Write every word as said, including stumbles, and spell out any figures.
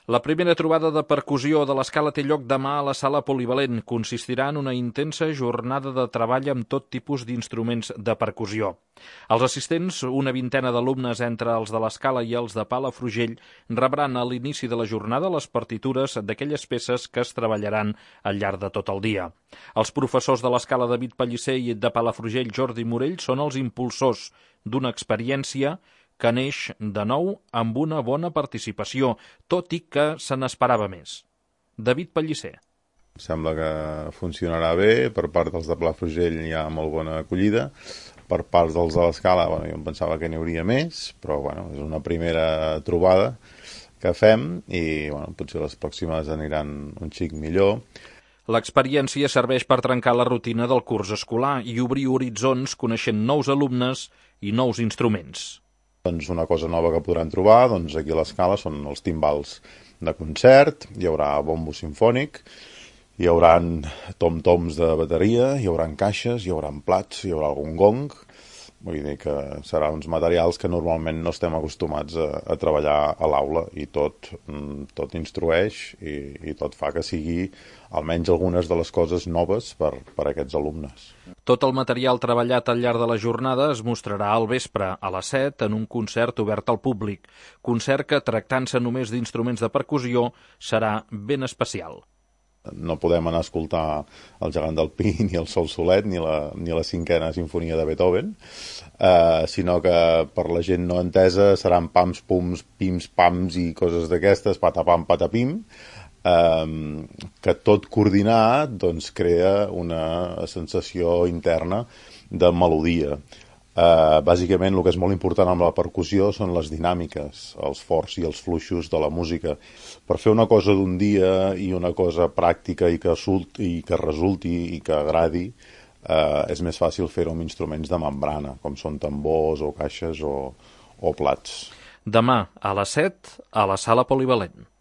La primera trobada de percussió de l'Escala té lloc demà a la Sala Polivalent. Consistirà en una intensa jornada de treball amb tot tipus d'instruments de percussió. Els assistents, una vintena d'alumnes entre els de l'Escala i els de Palafrugell, rebran a l'inici de la jornada les partitures d'aquelles peces que es treballaran al llarg de tot el dia. Els professors de l'Escala David Pellicer i de Palafrugell Jordi Morell són els impulsors d'una experiència que neix de nou amb una bona participació, tot i que se n'esperava més. David Pellicer. Sembla que funcionarà bé, per part dels de Palafrugell hi ha molt bona acollida, per part dels de l'Escala, bueno, jo em pensava que n'hi hauria més, però bueno, és una primera trobada que fem i bueno, potser les pròximes aniran un xic millor. L'experiència serveix per trencar la rutina del curs escolar i obrir horitzons coneixent nous alumnes i nous instruments. Doncs una cosa nova que podran trobar doncs aquí a l'Escala són els timbals de concert, hi haurà bombo simfònic, hi haurà tom-toms de bateria, hi haurà caixes, hi haurà plats, hi haurà algun gong. Vull dir que seran uns materials que normalment no estem acostumats a, a treballar a l'aula i tot, tot instrueix i, i tot fa que sigui almenys algunes de les coses noves per, per a aquests alumnes. Tot el material treballat al llarg de la jornada es mostrarà al vespre, a les set, en un concert obert al públic. Concert que, tractant-se només d'instruments de percussió, serà ben especial. No podem anar a escoltar el Gegant del Pi, ni el Sol Solet, ni la, ni la cinquena sinfonia de Beethoven, eh, sinó que per la gent no entesa seran pams, pums, pims, pams i coses d'aquestes, patapam, patapim, eh, que tot coordinat doncs, crea una sensació interna de melodia. Uh, bàsicament el que és molt important amb la percussió són les dinàmiques, els forts i els fluixos de la música. Per fer una cosa d'un dia i una cosa pràctica i que, resulti, i que resulti i que agradi, uh, és més fàcil fer-ho amb instruments de membrana, com són tambors o caixes o, o plats. Demà a les set a la Sala Polivalent.